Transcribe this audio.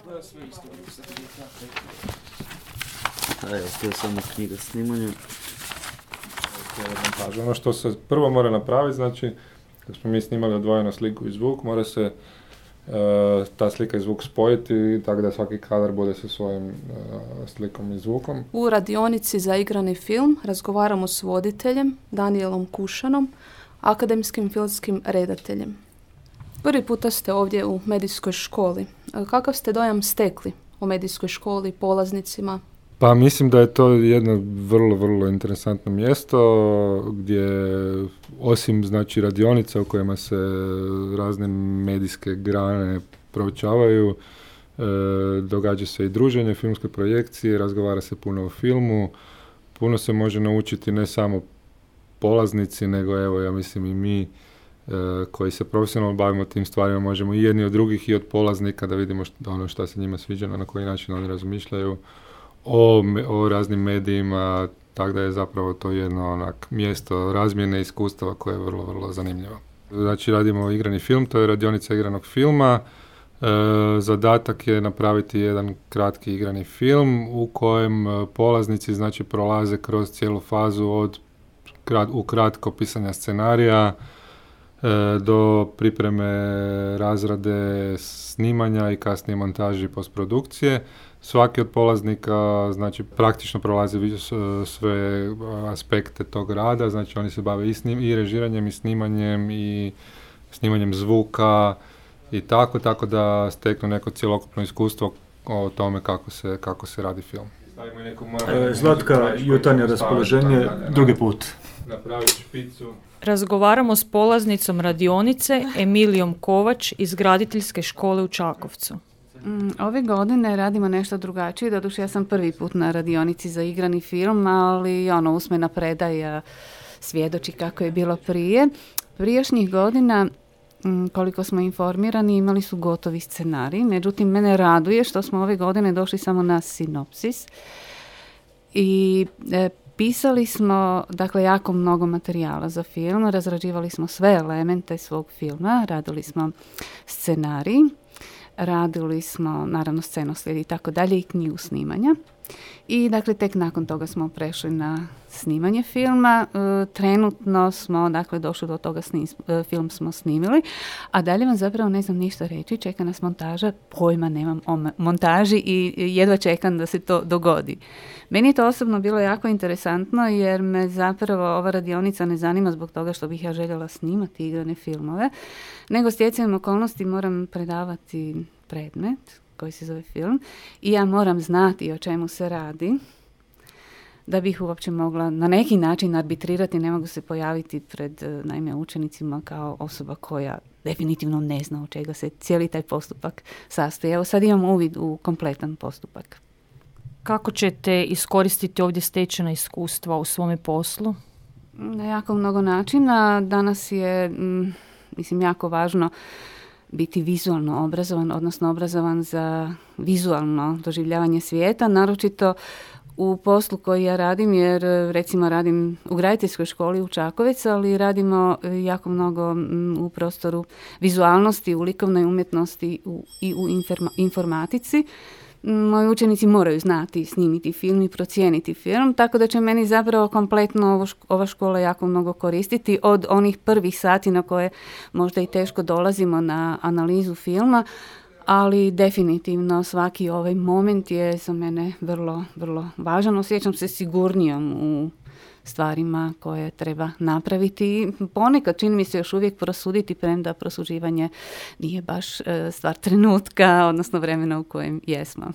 To je sve isto. Evo, to je samo knjiga snimanja. Ono što se prvo mora napraviti, znači, kad smo mi snimali odvojeno sliku i zvuk, mora se ta slika i zvuk spojiti tako da svaki kadar bude sa svojim slikom i zvukom. U radionici za igrani film razgovaramo s voditeljem Danielom Kušanom, akademskim filmskim redateljem. Prvi puta ste ovdje u medijskoj školi. Kakav ste dojam stekli o medijskoj školi, polaznicima? Pa mislim da je to jedno vrlo, vrlo interesantno mjesto gdje osim znači radionica u kojima se razne medijske grane proučavaju, događa se i druženje, filmske projekcije, razgovara se puno o filmu, puno se može naučiti ne samo polaznici, nego evo ja mislim i mi koji se profesionalno bavimo tim stvarima možemo i jedni od drugih i od polaznika da vidimo ono što se njima sviđa, na koji način oni razmišljaju o raznim medijima, tako da je zapravo to jedno mjesto razmjene iskustava koje je vrlo, vrlo zanimljivo. Znači radimo igrani film, to je radionica igranog filma. Zadatak je napraviti jedan kratki igrani film u kojem polaznici znači prolaze kroz cijelu fazu od ukratko pisanja scenarija do pripreme, razrade, snimanja i kasnije montaži i postprodukcije. Svaki od polaznika znači praktično prolazi sve aspekte tog rada, znači oni se bave i režiranjem i snimanjem zvuka i tako da steknu neko cjelokupno iskustvo o tome kako se radi film. Zlatka, jutarnje raspoloženje, drugi put. Napraviti špicu. Razgovaramo s polaznicom radionice Emilijom Kovač iz Graditeljske škole u Čakovcu. Ove godine radimo nešto drugačije, doduše ja sam prvi put na radionici za igrani film, ali usmena predaja svjedoči kako je bilo prije. Prijašnjih godina, koliko smo informirani, imali su gotovi scenarij, međutim mene raduje što smo ove godine došli samo na sinopsis i pisali smo jako mnogo materijala za film, razrađivali smo sve elemente svog filma, radili smo scenarij, radili smo naravno scenoslijed i tako dalje i knjigu snimanja. I dakle tek nakon toga smo prešli na snimanje filma. Trenutno smo došli do toga, film smo snimili, a dalje vam zapravo ne znam ništa reći, čeka nas montaža, pojma nemam o montaži i jedva čekam da se to dogodi. Meni je to osobno bilo jako interesantno jer me zapravo ova radionica ne zanima zbog toga što bih ja željela snimati igrane filmove, nego stjecajem okolnosti moram predavati predmet koji se zove film i ja moram znati o čemu se radi da bih uopće mogla na neki način arbitrirati, ne mogu se pojaviti pred naime učenicima kao osoba koja definitivno ne zna od čega se cijeli taj postupak sastoji. Evo sad imam uvid u kompletan postupak. Kako ćete iskoristiti ovdje stečena iskustva u svome poslu? Na jako mnogo načina. Danas je jako važno biti vizualno obrazovan, odnosno obrazovan za vizualno doživljavanje svijeta, naročito u poslu koji ja radim, jer recimo radim u Graditeljskoj školi u Čakovec, ali radimo jako mnogo u prostoru vizualnosti, u likovnoj umjetnosti i u informatici. Moji učenici moraju znati snimiti film i procijeniti film, tako da će meni zapravo kompletno ova škola jako mnogo koristiti od onih prvih sati na koje možda i teško dolazimo na analizu filma, ali definitivno svaki ovaj moment je za mene vrlo, vrlo važan. Osjećam se sigurnijom u stvarima koje treba napraviti. Ponekad čini mi se još uvijek prosuditi, premda prosuđivanje nije baš stvar trenutka, odnosno vremena u kojem jesmo.